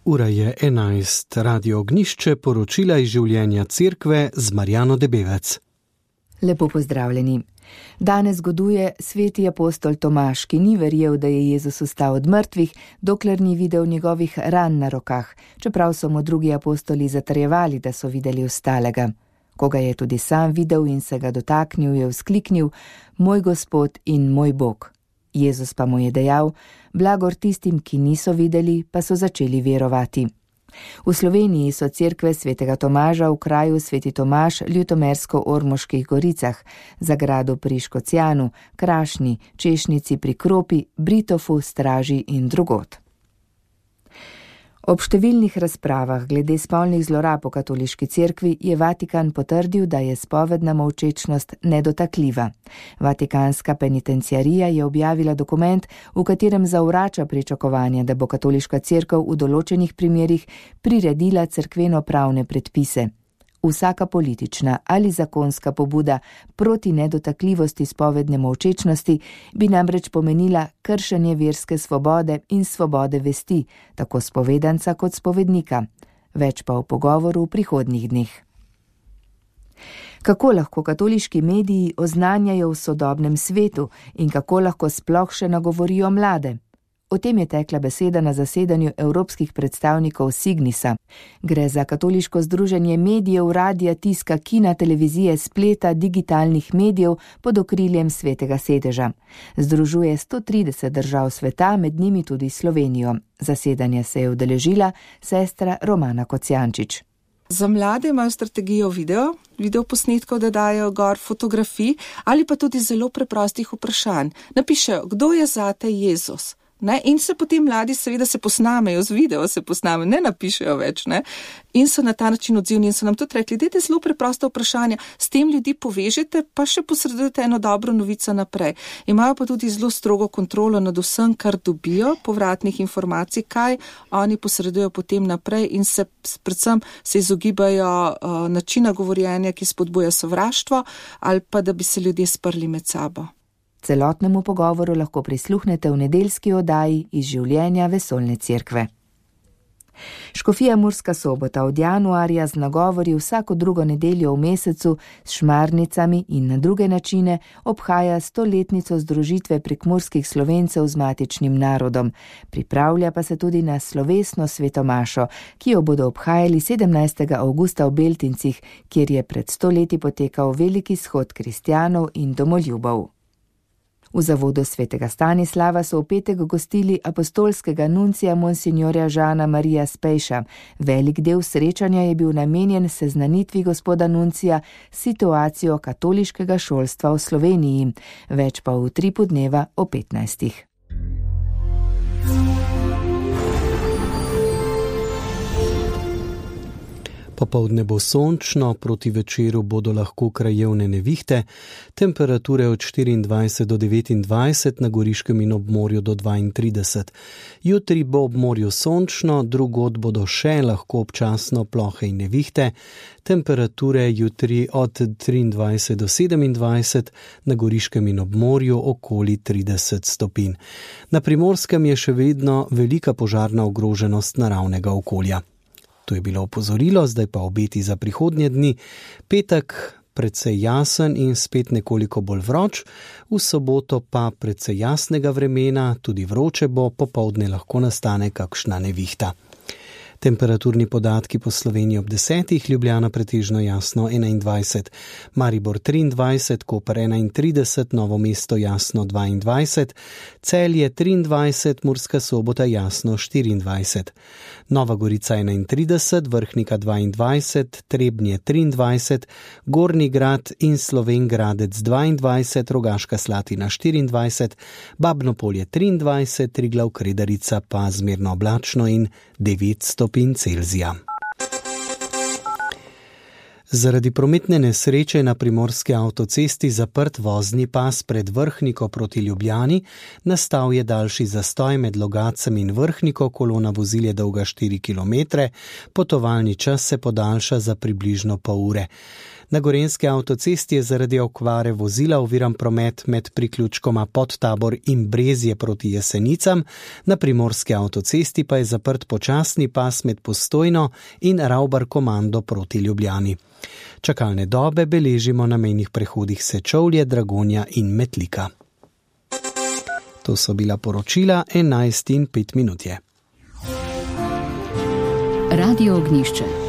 Ura je 11, Radio Ognišče, poročila iz življenja cerkve z Marjano Debevec. Lepo pozdravljeni. Danes goduje sveti apostol Tomaž, ki ni verjel, da je Jezus vstal od mrtvih, dokler ni videl njegovih ran na rokah, čeprav so mu drugi apostoli zatrjevali, da so videli vstalega. Ko ga je tudi sam videl in se ga dotaknil, je vzkliknil: Moj Gospod in moj Bog. Jezus pa mu je dejal: blagor tistim, ki niso videli, pa so začeli verovati. V Sloveniji so cerkve svetega Tomaža v kraju Sveti Tomaž, Ljutomersko-Ormoških goricah, Zagradu pri Škocjanu, Krašni, Češnici pri Kropi, Britofu, Straži in drugod. Ob številnih razpravah glede spolnih zlorab v katoliški cerkvi je Vatikan potrdil, da je spovedna molčečnost nedotakljiva. Vatikanska penitenciarija je objavila dokument, v katerem zavrača pričakovanje, da bo katoliška cerkev v določenih primerih priredila cerkveno-pravne predpise. Vsaka politična ali zakonska pobuda proti nedotakljivosti spovedne molčečnosti bi namreč pomenila kršenje verske svobode in svobode vesti, tako spovedanca kot spovednika. Več pa v pogovoru v prihodnjih dneh. Kako lahko katoliški mediji oznanjajo v sodobnem svetu in kako lahko sploh še nagovorijo mlade? O tem je tekla beseda na zasedanju evropskih predstavnikov Signisa. Gre za katoliško združenje medijev, radija, tiska, kina, televizije, spleta, digitalnih medijev pod okriljem Svetega sedeža. Združuje 130 držav sveta, med njimi tudi Slovenijo. Zasedanje se je udeležila sestra Romana Kocijančič. Za mlade imajo strategijo video posnetkov, da dajo gor fotografij ali pa tudi zelo preprostih vprašanj. Napišejo, kdo je zate Jezus? In se potem mladi seveda se posnamejo, z video se posnamejo, ne napišejo več, in so na ta način odzivni in so nam tudi rekli, dajte zelo preprosta vprašanja, s tem ljudi povežete, pa še posredujete eno dobro novico naprej. Imajo pa tudi zelo strogo kontrolo nad vsem, kar dobijo, povratnih informacij, kaj oni posredujejo potem naprej in se predvsem se izogibajo načina govorjenja, ki spodbuja sovraštvo ali pa da bi se ljudje sprli med sabo. Celotnemu pogovoru lahko prisluhnete v nedeljski oddaji iz življenja vesoljne cerkve. Škofija Murska Sobota od januarja z nagovori vsako drugo nedeljo v mesecu s šmarnicami in na druge načine obhaja 100-letnico združitve prekmurskih Slovencev z matičnim narodom. Pripravlja pa se tudi na slovesno svetomašo, ki jo bodo obhajali 17. avgusta v Beltincih, kjer je pred 100 leti potekal veliki shod kristjanov in domoljubov. V zavodu svetega Stanislava so v petek gostili apostolskega nuncija monsignorja Žana Marija Spejša. Velik del srečanja je bil namenjen seznanitvi gospoda nuncija s situacijo katoliškega šolstva v Sloveniji. Več pa v utripu dneva o 15. Popoldne bo sončno, proti večeru bodo lahko krajevne nevihte, temperature od 24 do 29, na Goriškem in ob morju do 32. Jutri bo ob morju sončno, drugod bodo še lahko občasno plohe in nevihte, temperature jutri od 23 do 27, na Goriškem in ob morju okoli 30 stopinj. Na Primorskem je še vedno velika požarna ogroženost naravnega okolja. To je bilo opozorilo, zdaj pa obeti za prihodnje dni. Petek precej jasen in spet nekoliko bolj vroč, v soboto pa precej jasnega vremena, tudi vroče bo, popoldne lahko nastane kakšna nevihta. Temperaturni podatki po Sloveniji ob 10, Ljubljana pretežno jasno 21, Maribor 23, Koper 31, Novo mesto jasno 22, Celje 23, Murska Sobota jasno 24, Nova Gorica 31, Vrhnika 22, Trebnje 23, Gornji Grad in Slovenj Gradec 22, Rogaška Slatina 24, Babno Polje 23, Triglav Kredarica pa zmerno oblačno in 9 stopinj Celzija. Zaradi prometne nesreče je na primorski avtocesti zaprt vozni pas pred Vrhniko proti Ljubljani, nastal je daljši zastoj med Logacem in Vrhniko, kolona vozil je dolga 4 km, potovalni čas se podaljša za približno pol ure. Na Gorenjski avtocesti je zaradi okvare vozila oviran promet med priključkoma Podtabor in Brezje proti Jesenicam, na Primorski avtocesti pa je zaprt počasni pas med Postojno in Ravbar Komando proti Ljubljani. Čakalne dobe beležimo na mejnih prehodih Sečovlje, Dragonja in Metlika. To so bila poročila 11:05. Radio Ognjišče.